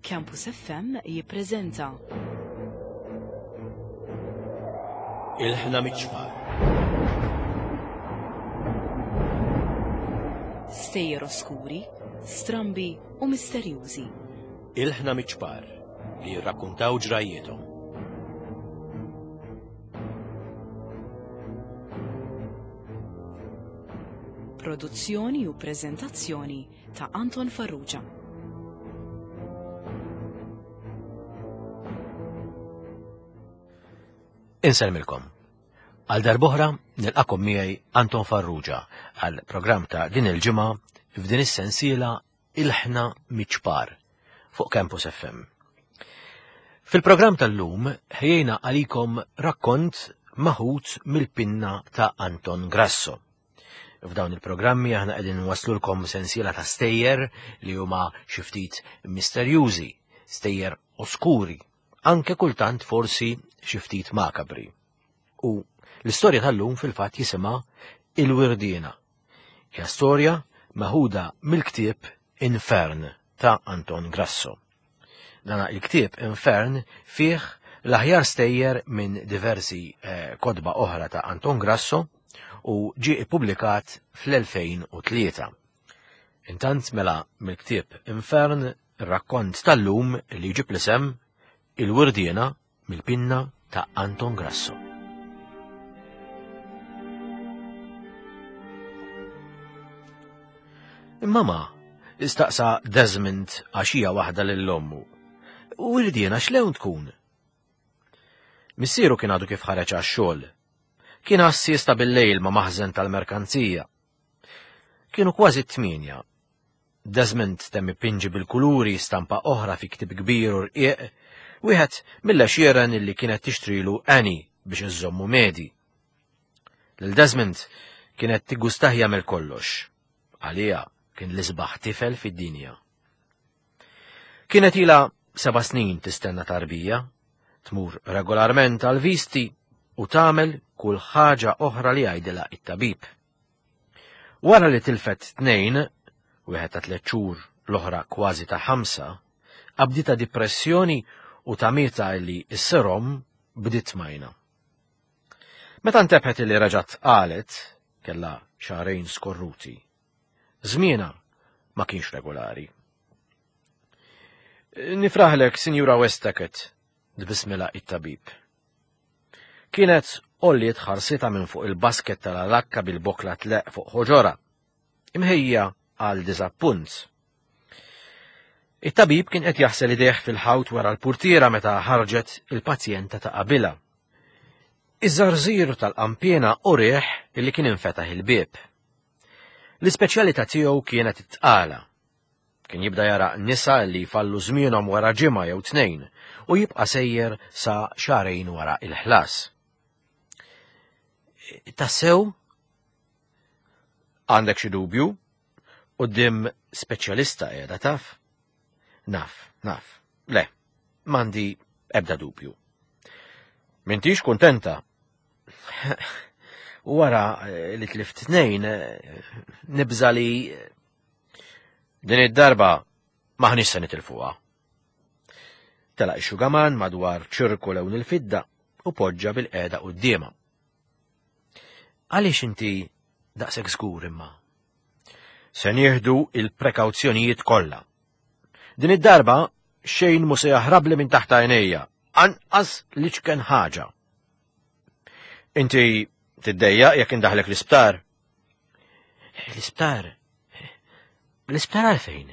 Campus FM jippreżenta. Il-ħna miċ-ċpar. Stejjer oskuri, strambi u misterjużi. Il-ħna miċ-ċpar li jirrakkuntaw ġrajjiethom. Produzzjoni u preżentazzjoni ta' Anton Farrugia. Insellmilkom. Għal darbohra nilqakom miegħi Anton Farrugia għal programm ta' din il-ġimgħa f'din is-sensiela Ilħna Miċpar fuq Campus FM. Fil-programm tal-lum ħejjejna għalikom rakkont maħut mill-pinna ta' Anton Grasso. F'dawn il-programmi aħna qegħdin nwaslulkom sensiela ta' stejjer li huma xi ftit misterjużi, stejjer oskuri, anke kultant forsi xi ftit makabri. U l-istorja tal-lum fil-fatt jisimha Il-Wirdiena. Hija storja meħuda mill-ktieb Infern ta' Anton Grasso. Dana il-ktieb Infern fih l-aħjar stejjer minn diversi eh, kotba oħra ta' Anton Grasso u ġie ippubblikat fl-2003. Intant mela mill-ktieb Infern ir-rakkont tal-lum li jġib l-isem Il-Wirdiena mill-pinna ta' Anton Grasso. Imma ma, istaqsa Desmond għaxija waħda lil ommu. U irdiena x'lewn tkun? Missieru kien għadu kif ħareġ għax-xogħol. Kien għassies ta' bil-lejl ma' maħżen tal-merkanzija. Kienu kważi t-tmienja Desmond temm ipinġi bil-kuluri stampa oħra fi ktieb kbir u rqiq, wieħed mill-għexieren illi kienet tixtrilu Annie biex iżżommu medi. Lil Desmond kienet tiggustah jagħmel kollox. Għaliha kien l-isbaħ tifel fid-dinja. Kienet ilha seba' snin tistenna tarbija, tmur regolarment għal visti u tagħmel kull ħaġa oħra li jgħidilha it-tabib. Wara li tilfet tnejn, wieħed ta' tliet xhur, l-oħra kważi ta' ħamsa, qabditha dipressjoni u tamietha li s-serom bdiet tmajna. Meta ntebħet li reġgħet qalet, kellha xahrejn skorruti. Żmienha ma kienx regolari. Nifraħlek, Sinjura Westacott, tbissmilha it-tabib. Kienet għolliet ħarsitha minn fuq il-basket tal-alakka bil-bokla tleqq fuq ħoġorha, imħejja għal diżappunt. It-tabib kien qed jaħsel idejh fil-ħawt wara l-purtiera meta ħarġet il-pazjenta ta' qabilha. Iż-żarżir tal-qampiena u riħ li kien infetaħ il-bieb. L-ispeċjalità tiegħu kienet it-tqala. Kien jibda jara nisa li jfallu żmienhom wara ġimgħa jew tnejn u jibqa' sejjer sa xahrejn wara il-ħlas. Tassew? Għandek xi dubju? Quddiem speċjalista qiegħda taf? Naf, naf. Le, m'għandi ebda dubju. M'intix kuntenta? Wara li tlift tnejn, nibża li Din id-darba maħniex se nitilfuha. Telaq ix-xugaman madwar ċirku lewn il-fidda u poġġa bil-qeda quddiemha. Għaliex inti daqshekk żgur imma? Se nieħdu il-prekawzjonijiet kollha. Din id-darba xejn mu se jaħrabli minn taħt għajnejja, anqas li ċken ħaġa. Inti tiddejjaq jekk indaħlek l-isptar? L-isptar? L-isptar għalfejn?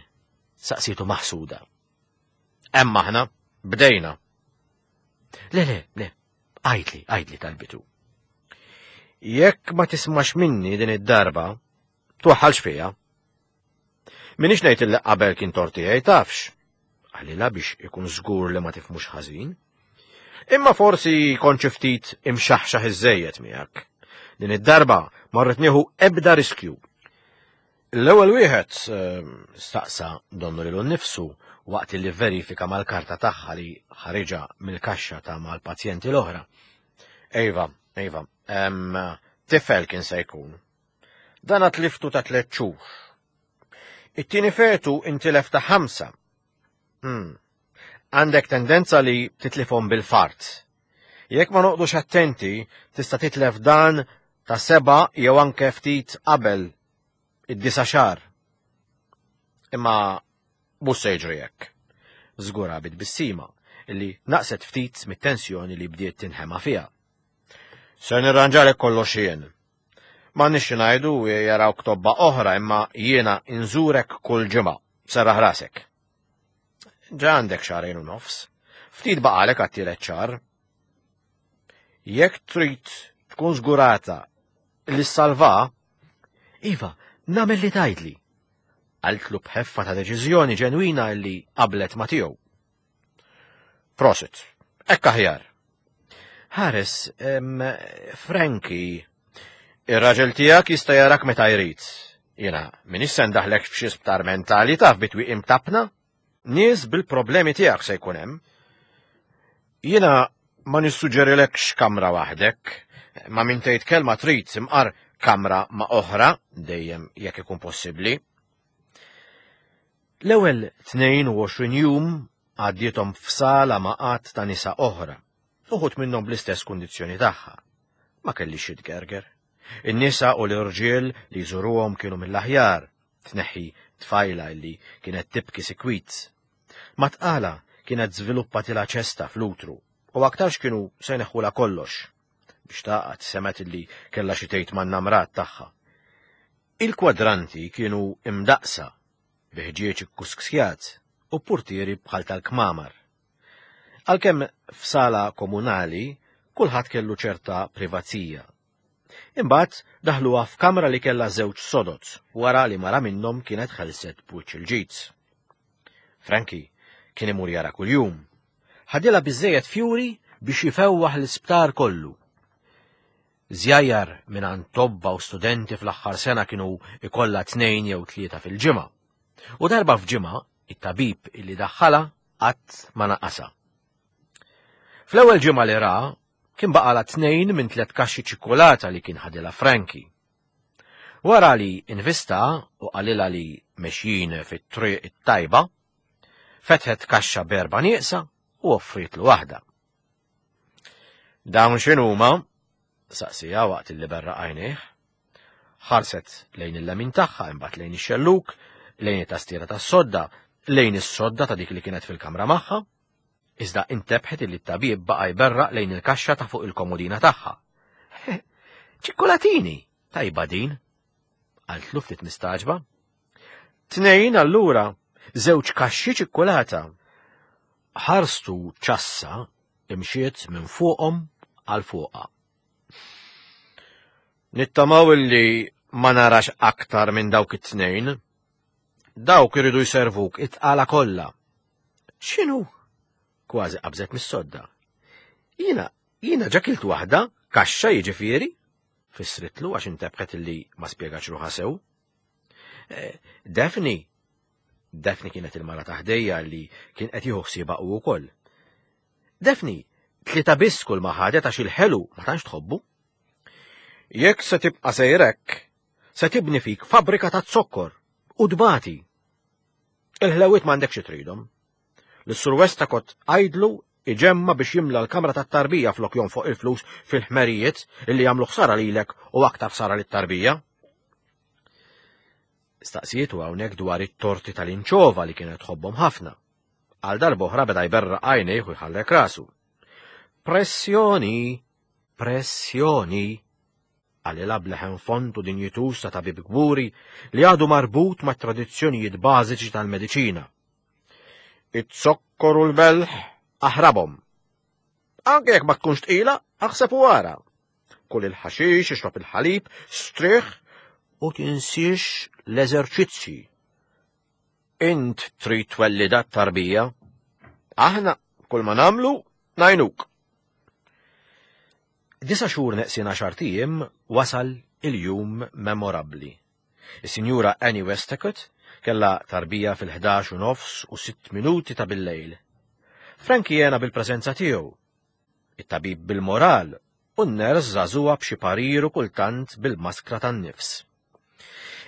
Saqsitu maħsuda. Hemm aħna, bdejna. Le, le, le, għajtli, għajtli talbitu. Jekk ma tismax minni din id-darba, twaħħalx fija. Minix ngħid li qabel kien torti tafx. Għalila biex ikun żgur li ma tifmux ħażin. Imma forsi kont xi ftit imxaħxaħ iżżejjed miegħek. Din id-darba ma rrid nieħu ebda riskju. L-ewwel wieħed ehm, staqsa donnu lilu nnifsu waqt li verifika mal-karta tagħha li ħariġa mill-kaxxa ta' mal-pazjenti l-oħra. Ejva, ejva, ehm, tifel kien se jkun. Dan tliftu ta' tliet xhur. It-tieni fetu intilef ta' ħamsa. Hmm. Għandek tendenza li titlifhom bil-fart. Jekk ma noqdux attenti, tista' titlef dan ta' seba' jew anke ftit qabel id-disa' xahar. Imma mhux se jiġri hekk. Żgura bi tbissima li naqset ftit mit-tensjoni li bdiet tinħema fiha. Se nirranġalek kollox jien. Ma nix ngħidu jarawk tobba oħra imma jiena inżurek kull ġimgħa. Serraħ rasek. Ġa għandek xahrejn u nofs. Ftit baqalek għat-tielet xahar. Jekk trid tkun żgurata li ssalva, iva, nagħmel li tgħidli. Qaltlu b'ħeffa ta' deċiżjoni ġenwina li qablet ma' tiegħu. Prosit, hekk aħjar. Ħares, Frankie, ir-raġel tiegħek jista' jarak meta jrid. Jiena minix se ndaħlek f'xi sptar mentali taf bitwi imtabna. Nies bil-problemi tiegħek se jkun hemm. Jiena ma nissuġġerilekx kamra waħdek, ma min tgħid kelma trid imqar kamra ma' oħra, dejjem jekk ikun possibbli. L-ewwel 22 jum għaddiethom f'sala ma' għadd ta' nisa oħra, uħud minnhom bl-istess kundizzjoni tagħha. Ma kellix xi tgerger. In-nisa u l-irġiel li jżuruhom kienu mill-aħjar, tneħħi tfajla li kienet tibki sikwit. Ma tqala kienet żviluppatilha ċesta fl-utru u aktarx kienu se jneħħulha kollox. Biex taqgħad semgħet li kellha xi tgħid man-namrat tagħha. Il-kwadranti kienu imdaqqsa bi ħġieġ ikkusksjat u purtieri bħal tal-kmamar. Għalkemm f'sala komunali kulħadd kellu ċerta privazija. Imbagħad daħluha f'kamra li kellha żewġ sodod wara li mara minnhom kienet ħelset b'wiċċ il-ġid. Frankie kien imur jara kuljum. Ħadilha biżejjed fjuri biex jifewwaħ l-isptar kollu. Żjajjar mingħand tobba u studenti fl-aħħar sena kienu ikollha tnejn jew tlieta fil-ġimgħa. U darba f'ġimgħa it-tabib illi daħħalha qatt ma naqasha. Fl-ewwel ġimgħa li ra, kien baqala tnejn minn tliet kaxxi ċikkulata li kien ħadilha Frankie. Wara li invista u qalilha li mexjin fit-triq it-tajba, fetħet kaxxa b'erba' nieqsa u offrietlu waħda. Dawn x'inhuma? saqsija waqt li berraq għajnejh. Ħarset lejn il-lemin tagħha imbagħad lejn ix-xelluk, lejn it-tastiera tas-sodda, lejn is-sodda ta' dik li kienet fil-kamra magħha. Iżda intebħet li t-tabib baqa' jberraq lejn il-kaxxa ta' fuq il-komodina tagħha. Ċikkulatini! Tajba din! Qaltlu ftit mistaġba. Tnejn allura, żewġ kaxxi ċikkulata. Ħarstu ċassa imxiet minn fuqhom għal fuqha. Nittamaw illi ma narax aktar minn dawk it-tnejn. Dawk iridu jservuk it-tqala kollha. X'inhu? Kważi qabżet mis-sodda. Jiena, jiena ġa kilt waħda, kaxxa jiġifieri, fissritlu għax intebħet illi ma spjegax ruħha sew. Eh, Daphne, Daphne kienet il-mara ta' ħdejja li kien qed jieħu ħsiebha hu wkoll. Daphne, tlieta biss kull ma ħadet għax il-ħelu ma tantx tħobbu. Jekk se tibqa' sejrek, se tibni fik fabbrika ta' zokkor u tbati. Il-ħlewiet m'għandekx tridhom. L-Sur Westacott għidlu iġemma biex jimla l-kamra tat-tarbija flok jonfoq il-flus fil-ħmerijiet illi jagħmlu ħsara lilek u aktar ħsara lit-tarbija. Staqsietu hawnhekk dwar it-torti tal-inċova li kienet tħobbhom ħafna. Għal darb'oħra beda jberraq għajnejh u jħarrek rasu. Pressjoni! Pressjoni! Qalilha b'leħen fond u dinjituż ta' tabib kburi li għadu marbut mat tradizzjonijiet bażiċi tal-mediċina. It-zokkor u l-melħ aħrabhom. Anke jekk ma tkunx tqila, aħseb u ara. Kul il-ħaxix, ixrob il-ħalib, strieħ u tinsiex l-eżerċizzji. Int trid twellida t-tarbija. Aħna kull ma nagħmlu ngħinuk. Disa xhur neqsin għaxar ijiem wasal il-jum memorabbli. Is-Sinjura Annie Westacott kellha tarbija fil-11 u nofs u sitt minuti ta' billejl. Frankie jena bil-preżenza tiegħu it-tabib bil-moral u n-ners żagħżugħa b'xi parir u kultant bil-maskra tan-nifs.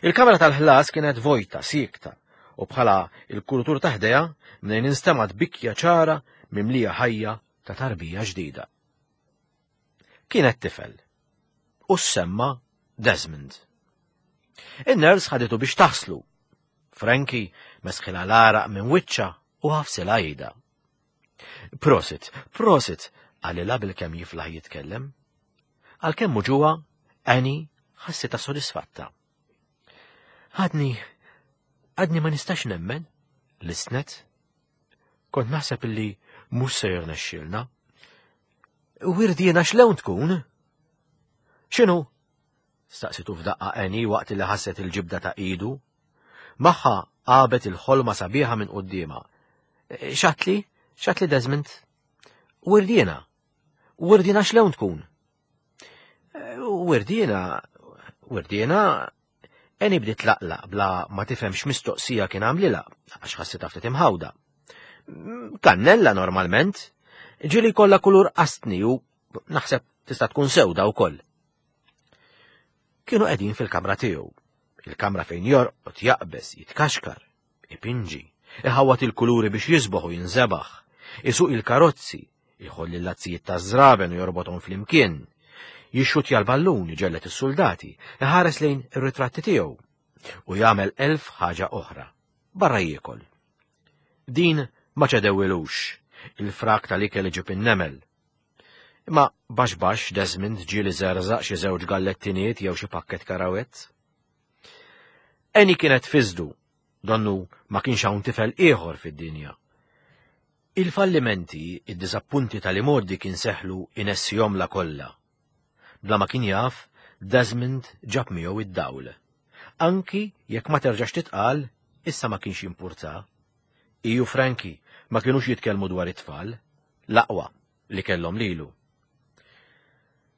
Il-kamra tal-ħlas kienet vojta, siekta, U bħala il-kurutur ta' ħdejha mnejn instemgħet bikja ċara mimlija ħajja ta' tarbija ġdida. Kienet tifel. U ssemma Desmond. In-ners ħaditu biex taħslu. Frankie mesħilha l-għaraq minn wiċċha u ħafsilha idha. Prosit, prosit, qalilha bilkemm jiflaħ jitkellem. Għalkemm muġugħa, Annie ħassitha sodisfatta. Għadni, għadni ma nistax nemmen, listnet. Kont naħseb illi mhux se jirnexxielna. Wirdiena x'lewn tkun? X'inhu? Staqsitu f'daqqa Annie waqt li ħasset il-ġibda ta' idu. Magħha għabet il-ħolma sabiħa minn quddiemha. X'għadtli? X'għadtli Desmond? Wirdiena. Wirdiena x'lewn tkun? Wirdiena, wirdiena, Annie bdiet tlaqlaq bla ma tifhem x'mistoqsija kien għamlilha għax ħassitha ftit imħawda. Kannella normalment, ġieli jkollha kulur qastni u naħseb tista' tkun sewda wkoll. Kienu qegħdin fil-kamra tiegħu, il-kamra fejn jorqod, jaqbeż, jitkaxkar, ipinġi, iħawwad il-kuluri biex jisboħ u jinżebaħ, isuq il-karozzi, iħoll il-lazzijiet taż-żraben u jorbothom flimkien, jixxutja l-ballun, iġellet is-suldati, iħares lejn ir-ritratti tiegħu u jagħmel elf ħaġa oħra, barra jiekol. Din ma ċedewilux, il-frak tal-ikel iġib in-nemel. Imma baxx baxx Desmond ġieli żerżaq xi żewġ gallettiniet jew xi pakket karawett. Annie kienet fiżdu, donnu ma kienx hawn tifel ieħor fid-dinja. Il-fallimenti, id-diżappunti tal-imgħoddi kien seħlu inessihomlha kollha. Bla ma kien jaf, Desmond ġab miegħu id-dawl. Anki jekk ma terġax titqal, issa ma kienx jimpurta. Hi u Frankie ma kinux jitkellmu dwar it-tfal, l-aqwa li kellhom lilu.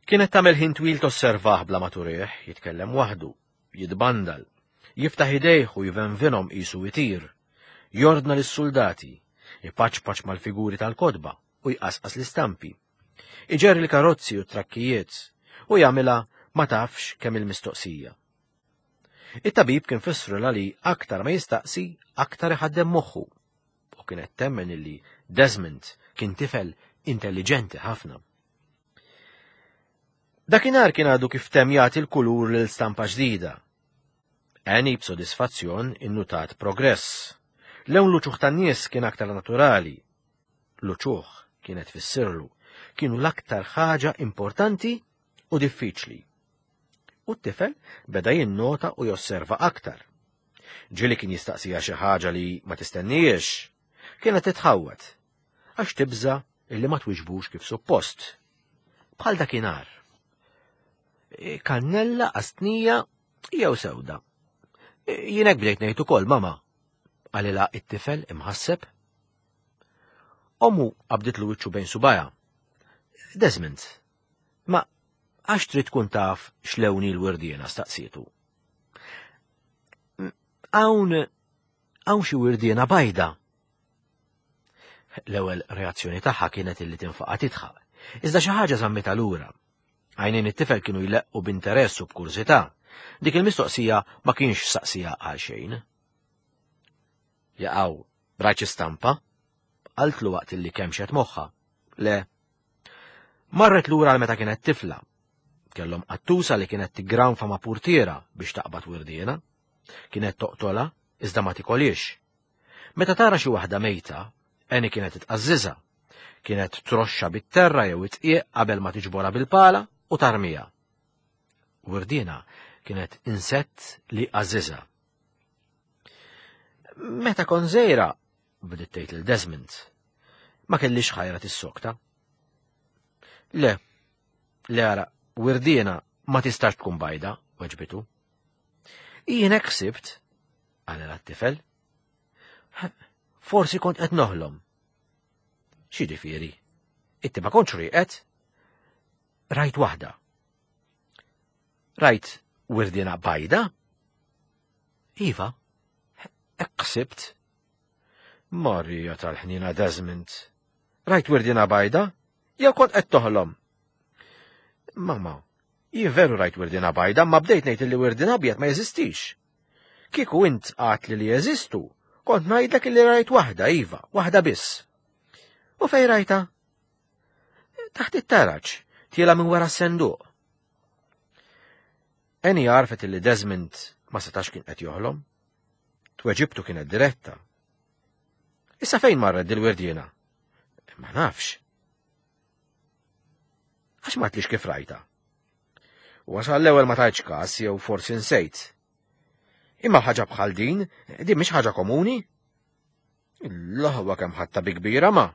Kienet tagħmel ħin twil tosservah bla ma turih, jitkellem waħdu, jitbandal, jiftaħ idejh u jvenvinhom qisu itir, jordna lis-suldati, ipaċpaċ mal-figuri tal-kotba u jqasqas l-istampi. Iġerri l-karozzi u t-trakkijiet u jagħmilha ma tafx kemm il-mistoqsija. It-tabib kien fissrulha li aktar ma jistaqsi, aktar iħaddem moħħu u kienet temmen illi Desmond kien tifel intelliġenti ħafna. Dakinhar kien għadu kif temm jagħti l-kulur lil stampa ġdida. Annie b'sodisfazzjon innutat progress. Lewn l-uċuħ tan-nies kien aktar naturali. L-uċuħ kienet tfissirlu kienu l-aktar ħaġa importanti u diffiċli. U t-tifel beda jinnota u josserva aktar. Ġieli kien jistaqsiha xi ħaġa li ma tistennijiex. Kienet titħawwad għax tibża' illi ma twiġbux kif suppost. Bħal dakinhar. E, kannella qastnija jew sewda. E, jien hekk bdejt ngħid ukoll, mama, qalilha it-tifel imħasseb. Ommu qabditlu wiċċu bejn subajha. Desmond, ma għax trid tkun taf x'lewni l-wirdiena staqsietu. Hawn hawn xi wirdiena bajda. L-ewwel reazzjoni tagħha kienet illi tinfaqa' tidħaq. Iżda xi ħaġa żammitha lura. Għajnejn it-tifel kienu jleqqu b'interess u b'kurżità. Dik il-mistoqsija ma kienx saqsija għal xejn. Jaqaw, rajt xi stampa? Qaltlu waqt illi kemxet moħħha. Le. Marret lura għal meta kienet tifla. Kellhom qattusa li kienet tiggranfa ma' purtiera biex taqbad wirdiena. Kienet toqtolha iżda ma tikolhiex. Meta tara xi waħda mejta, Annie kienet titqażżiżha. Kienet troxxa bit-terra jew it-tqieq qabel ma tiġborha bil-pala u tarmiha. Wirdiena kienet insett li għażiżha. Meta kont żgħira, bdiet tgħid lil Desmond, ma kellix ħajra tissokta. Le, le ara, wirdiena ma tistax tkun bajda, weġbitu. Jien hekk ħsibt, qalilha t-tifel. Forsi kont qed noħlom. X'jiġifieri? Inti ma kontx rieqed? Rajt waħda. Rajt wirdiena bajda? Iva, hekk ħsibt. Marija tal-ħnina Desmond. Rajt wirdiena bajda? Jew kont qed toħlom? Mama, jien veru rajt wirdiena bajda, ma bdejt ngħid li wirdien abjad ma jeżistix. Kieku int għat li li jeżistu, Kont ngħidlek illi rajt waħda, iva, waħda biss. U fej rajta? Taħt it-taraġ, tiela minn wara s-senduq. Eni għarfet illi Desmond ma setax kien qed joħlom. Tweġibtu kienet diretta. Issa fejn marret dil-wirdiena? Ma nafx. Għax ma tlix kif rajta? Wasal l-ewwel ma tajtx każ jew forsi nsejt. Imma ħaġa bħal din, din mhix ħaġa komuni. L-aħwa kemm ħatta bi kbira ma.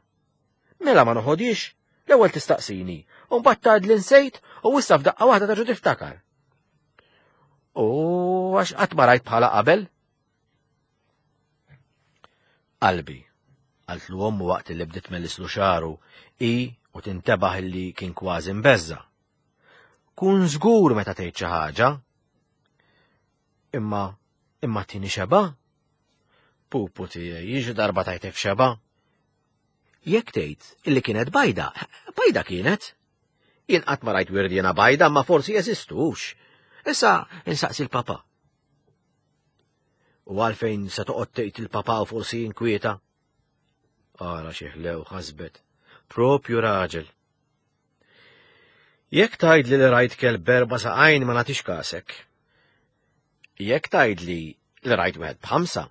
Mela ma noħodix, l-ewwel tistaqsini, u mbagħad tgħid li nsejt u issa f'daqqa waħda terġa' tiftakar. U għax qatt ma rajt bħala qabel? Qalbi, qaltlu ommu waqt li bdiet tmellislu xagħru hi u tintebaħ illi kien kważi mbeżża'. Kun żgur meta tgħid xi ħaġa. Imma imma tini xeba? Pupu tiegħi, jiġi darba tajtek xeba? Jekk tgħid illi kienet bajda, bajda kienet. Jien qatt ma rajt wirdiena bajda, ma forsi jeżistux. Issa insaqsi l-papa. U għalfejn se toqgħod tgħid il-papa u forsi jinkwieta? Ara xi ħlew ħasbet. Propju raġel. Jekk tgħidli li rajt kelb berba saqajn ma nagħtix kasek. Jekk tgħidli li rajt wieħed b'ħamsa,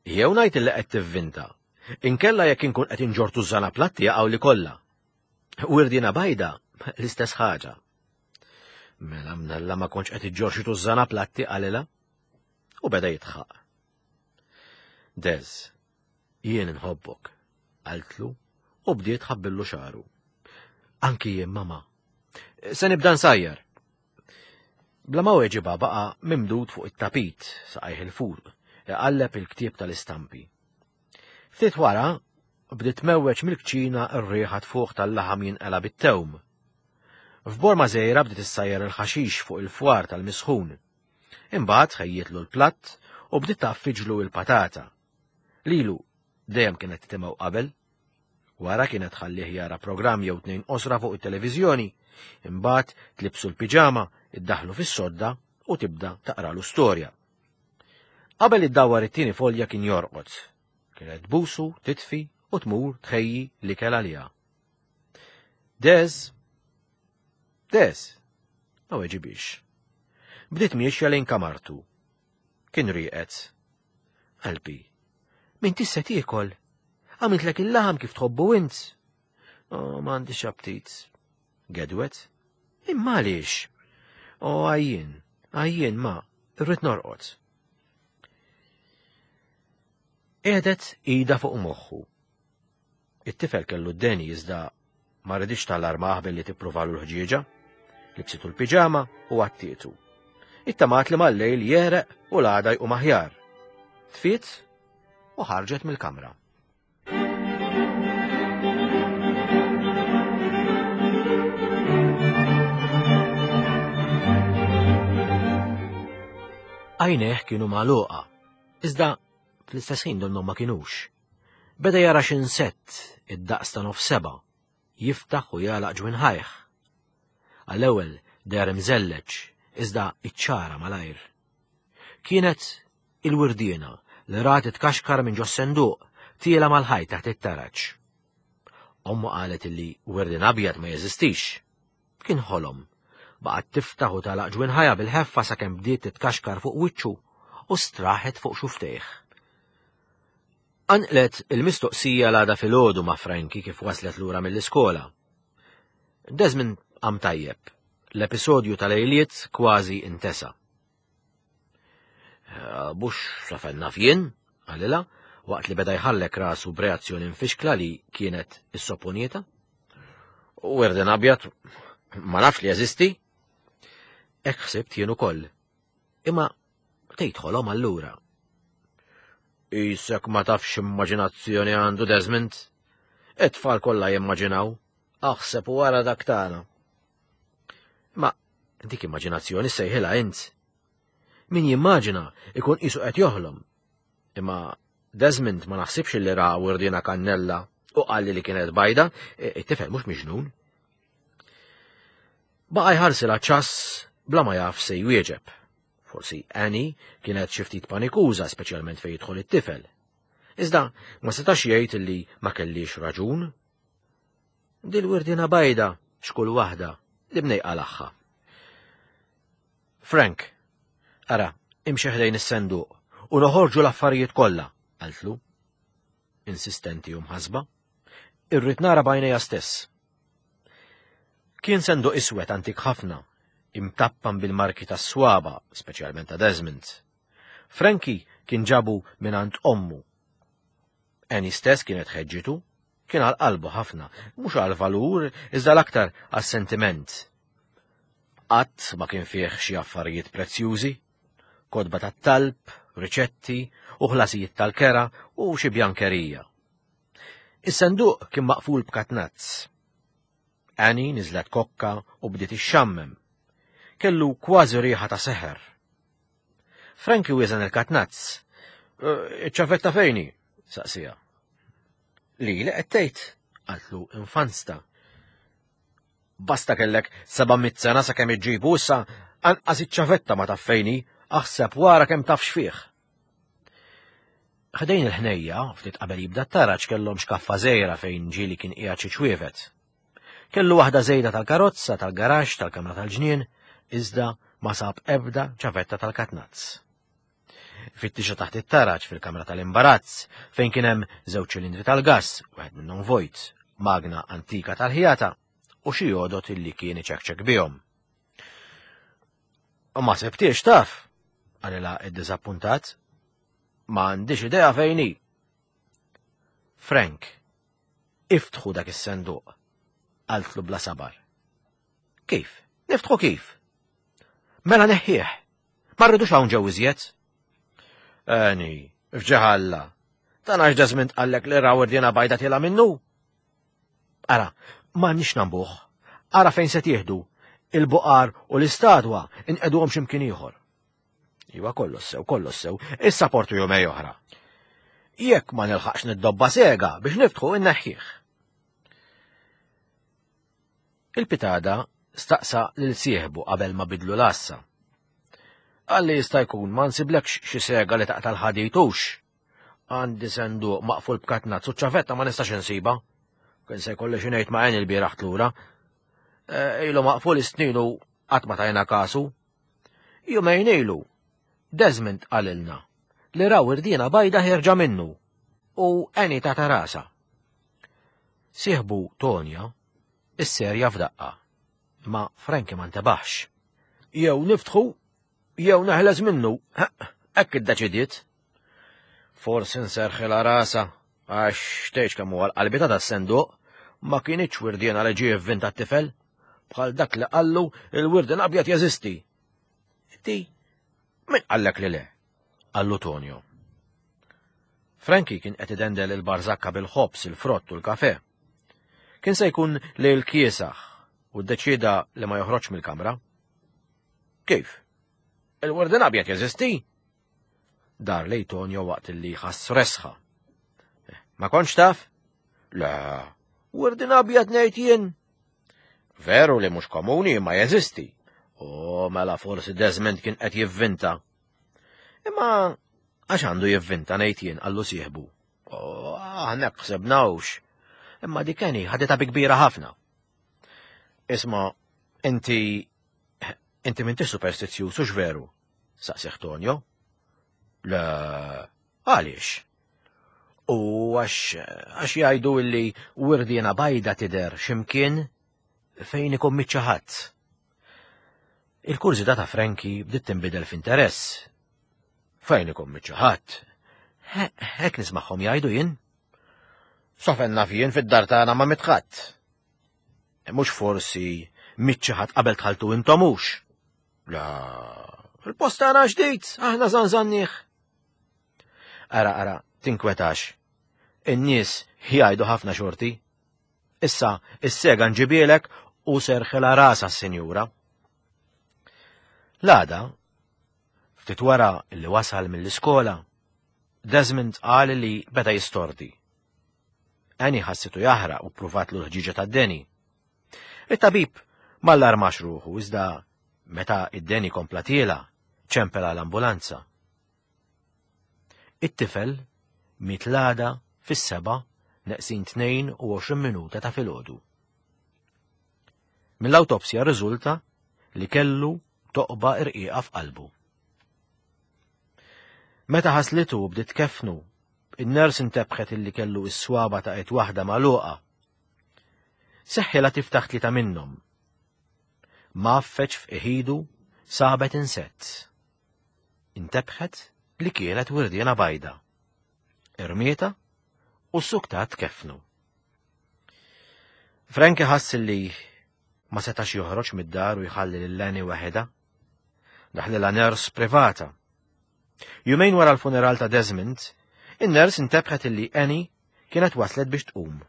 jew ngħid li qed tivvinta, inkella jekk inkun qed inġorr tużżana platti jaqgħu li kollha. Wirdina bajda, l-istess ħaġa. Mela mnalla ma kontx qed iġġorr xi tużżana platti qalilha. U beda jitħaq. Dez, Jien inħobbok, qaltlu u bdiet tħabbillu xagħru. Anki jien, mama. Se nibda nsajjar. Bla ma weġiba baqa' mimdud fuq it-tapit saqajh il-fuq, iqalleb il-ktieb tal-istampi. Ftit wara, bdiet tmewweġ mill-kċina r-riħa tfuħ tal-laħam jinqela bit-tewm. F'borma żgħira bdiet issajjar il-ħaxix fuq il-fwar tal-misħun. Imbagħad ħejjietlu l-platt u bdiet tgħaffiġlu l-patata. Lilu dejjem kienet titimgħu qabel. Wara kienet tħallih jara programm jew tnejn qosra fuq it-televiżjoni, imbagħad tlibsu l-piġama, iddaħlu fis-sodda u tibda taqralu storja. Qabel iddawwar it-tieni folja kien jorqod. Kienet tbusu, titfi u tmur tħejji l-ikel għaliha. Dez! Dez! Ma weġibix. Bdiet miexja lejn kamartu. Kien rieqed. Qalbi, m'intix se tiekol? Għamiltlek il-laħam kif tħobbu int. Oh, m'għandix aptit. Gedwet. Imma għaliex? Oh, għajjien, għajjien ma, irrid norqod. Qiegħdet ida fuq moħħu. It-tifel kellu d-deni iżda ma riditx tal-armah billi tippruvalu l-ħġieġa. Libsitu l-piġama u għattietu. Ittamat li mal-lejl jereq u l-għada jqum aħjar. Tfiet u ħarġet mill-kamra. Għajnejh kienu magħluqa, iżda fl-istess ħin donnhom ma kinux. Beda jara x'insett id-daqs ta' nofs seba', jiftaħ u jagħlaq ġwinħajh. Għall-ewwel deher imżelleġ, iżda iċċara malajr. Kienet il-wirdiena li rat titkaxkar minn ġos-senduq tiela mal-ħajt taħt it-taraġ. Ommu qalet illi wirdien abjad ma jeżistix. Kien ħolom. Baqgħet tiftaħ u tagħlaq ġwinħajha bil-ħeffa sakemm bdiet titkaxkar fuq wiċċu u straħet fuq xuftejh. Qanqlet il-mistoqsija l-għada filgħodu ma' Frankie kif waslet lura mill-iskola. Desmond qam tajjeb. L-episodju tal-lejliet kważi intesa. Eh, Bux safen naf jien, qalilha, waqt li beda jħallek rasu b'reazzjoni mfixkla li kienet issopponieta. U erden abjad, ma nafx li jeżisti. Hekk ħsibt jien ukoll. Imma tgħid ħolom allura. Isek ma tafx immaġinazzjoni għandu Desmond. It-tfal kollha jimmaġinaw, aħseb u wara dak tagħna. Ma dik immaġinazzjoni sejħilha int. Min jimmaġina ikun qisu qed joħlom. Imma Desmond ma naħsibx li ra wirdina kannella u qalli li kienet bajda, it-tifel mhux miġnun. Baqa' jħarsilha ċass bla ma jaf se jwieġeb. Forsi Annie kienet xi ftit panikuża speċjalment fejn jidħol it-tifel. Iżda ma setax jgħid li ma kellix raġun. Dil-wirdina bajda x'kull waħda li bnej qalagħha. Frank, ara, imxi ħdejn is-senduq u noħorġu l-affarijiet kollha, qaltlu. Insistenti u mħasba. Irrid nara b'għajnejja stess. Kien senduq iswed antik ħafna, imtappan bil-marki tas-swaba, speċjalment ta' Desmond. Frankie kien ġabu mingħand ommu. Annie stess kienet ħeġġitu, kien għal qalbu ħafna, mhux għal valur, iżda l-aktar għas-sentiment. Qatt ma kien fih xi affarijiet prezzjużi, kotba tat-talb, riċetti u ħlasijiet tal-kera u xi bjankerija. Is-senduq kien maqful b'katnazz. Annie niżlet kokka u bdiet ixxammem. Kellu kważi riħa ta' seħer. Frankie wieżen il-katnazz. Eh, iċ-ċavetta fejni? saqsija. Li li qed tgħid? qaltlu infansta. Basta kellek 700 sena sakemm iġġibu issa anqas iċ-ċavetta ma taf fejni, aħseb wara kemm taf x'fih. Ħdejn il-ħnejja, ftit qabel jibda t-taraġ kellhom xkaffa żgħira fejn ġieli kien qiegħed xi ċwievet. Kellu waħda żejda tal-karozza, tal-garaxx, tal-kamra tal-ġnien, iżda ma sab ebda ċavetta tal-katnazz. Fittixa taħt it-taraġ fil-kamra tal-imbarazz, fejn kien hemm żewġ ċilindri tal-gass, wieħed minnhom vojt, magna antika tal-ħjata u xi għodot illi kien iċekċek bihom. Ma sebtiex taf, qalilha id-diżappuntat. Ma għandix idea fejn hi. Frank, iftħu dak is-senduq, qaltlu bla sabar. Kif? Niftħu kif? Mela neħħieħ. Ma rridux hawn ġew iżjed. Eni, fġeħalla. Dan għax Desmond qallek li raw irdina bajda tila minnu. Ara, ma nix nambuħ. Ara fejn se tieħdu. Il-buqar u l-istadwa inqeduhom x'imkien ieħor. Iwa kollox sew, kollox sew, issa portu jumej oħra. Jekk ma nilħaqx niddobba sega biex niftħu inneħħih. Il-pitada staqsa lil sieħbu qabel ma bidlu l-għassa. Qalli jista' jkun ma nsiblekx xi sega li taqta' l-ħadid hux. Għandi senduq maqful b'katnazz u ċavetta ma nistax insiba. Kien se jkolli xi ngħid ma' għen il-bieraħ tlura. E, ilu maqful is-snin u qatt ma tajna kasu. Jumejn ilu, Desmond qalilna li raw irdiena bajda ħierġa minnu u għeni ta' tarasa. Sieħbu Tonja isserja f'daqqa, ma Frankie ma ntebaħx. Jew niftħu, jew neħles minnu, hekk iddeċidiet. Forsi nserħilha rasha, għax tgħidx kemm huwa l-qalbi ta' das-senduq, ma kinitx wirdiena li ġie vvinta t-tifel, bħal dak li qallu il-wirdien abjad jeżisti. Ti, min qallek li le? Qallu Tonio. Frankie kien qed idendel il-barżakka bil-ħobż, il-frott u l-kafe. Kien se jkun lejl kiesaħ u ddeċieda li ma joħroġx mill-kamra. Kif? Il-wardin abjad jeżisti? Dar lej Tonio waqt li ħass resħa. Eh, ma kontx taf? Le, wardin abjad ngħid jien. Veru li mhux komuni imma jeżisti. O mela forsi Desmond kien qed jivvinta. Imma għax għandu jivvinta ngħid jien qallu sieħbu. O aħna ħsebnawx. Imma dik Kenny ħaditha bi kbira ħafna. Isma' inti inti m'intix superstizzjuż hux veru? Saqsih Tonio. Le, għaliex? U għax għax jgħidu illi wirdiena bajda tidher x'imkien fejn ikun miċċa ħadd. Il-kurżità ta' Frankie bdiet tinbidel f'interess. Fejn ikun miċċa ħadd? Hekk nismagħhom jgħidu jien. Sofen naf jien fid-dar tagħna ma mitħadd. Mhux forsi miċċa ħadd qabel tħaltu intom hux. La, il-post tagħna ġdid, aħna żanżannih. Ara, ara, tinkwetax. In-nies jgħidu ħafna xorti. Issa, is-sega nġibielek u serħilha rasha s-sinjura. L-għada, ftit wara li wasal mill-iskola, Desmond qal li beda jistordi. Annie ħassitu jaħraq u ppruvatlu l-ħġieġa tad-deni. It-tabib m'allarmax ruħu iżda meta id-deni kompla tiela, ċempel għal ambulanza. It-tifel Miet l-għada fis-seba' neqsin 22 minuta ta' filgħodu. Mill-awtopsja rriżulta li kellu toqba irqiqa f'qalbu. Meta ħaslitu u bdiet tkeffnu, in-ners intebħet illi kellu s-swaba ta' id waħda magħluqa. Seħħilha tiftaħ tlieta minnhom. Mgħaffeġ f'iħidu sabet insett. Intebħet li kienet wirdiena bajda. Irmieta u ssuktat tkeffnu. Frankie ħass li ma setax joħroġ mid-dar u jħalli lil Annie waħedha. Daħlilha ners privata. Jumejn wara l-funeral ta' Desmond, in-ners intebħet illi Annie kienet waslet biex tqum.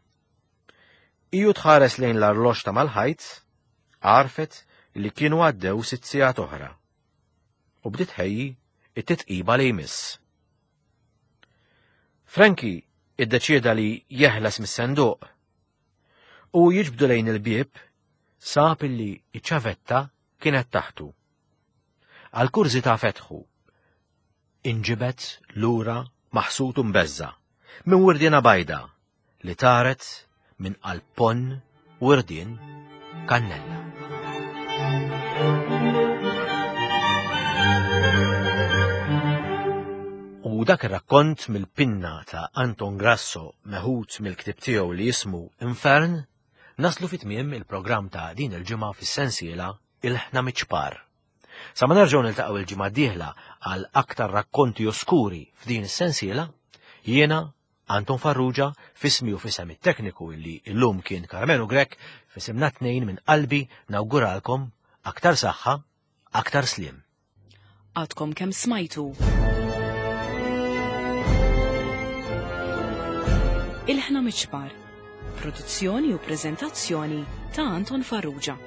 Iju tħares lejn l-arloġġ ta' mal-ħajt, għarfet li kienu għaddew sitt sigħat oħra. U bdiet ħejji it-titqiba li jmiss. Frankie iddeċieda li jeħles mis-senduq u jiġbdu lejn il-bieb sab illi iċ-ċavetta kienet taħtu. Għal kurżità fetħu. Inġibed lura maħsud u mbeżża' minn wirdiena bajda li taret minn qalb ponn wirdien kannella. U dak ir-rakkont mill-pinna ta' Anton Grasso meħud mill-ktieb tiegħu li jismu Infern, naslu fi tmiem il-programm ta' din il-ġimgħa fis-sensiela Ilħna Miċ-Ċpar. Sa ma nerġgħu niltaqgħu il-ġimgħa d-dieħla għal aktar rakkonti oskuri f'din is-sensiela, jiena Anton Farrugia, f'ismi u f'isem it-tekniku illi illum kien Karmenu Grech, f'isimna tnejn minn qalbi nawguralkom aktar saħħa, aktar sliem. Għadkom kemm smajtu. Ilħna Miċpar. Produzzjoni u preżentazzjoni ta' Anton Farrugia.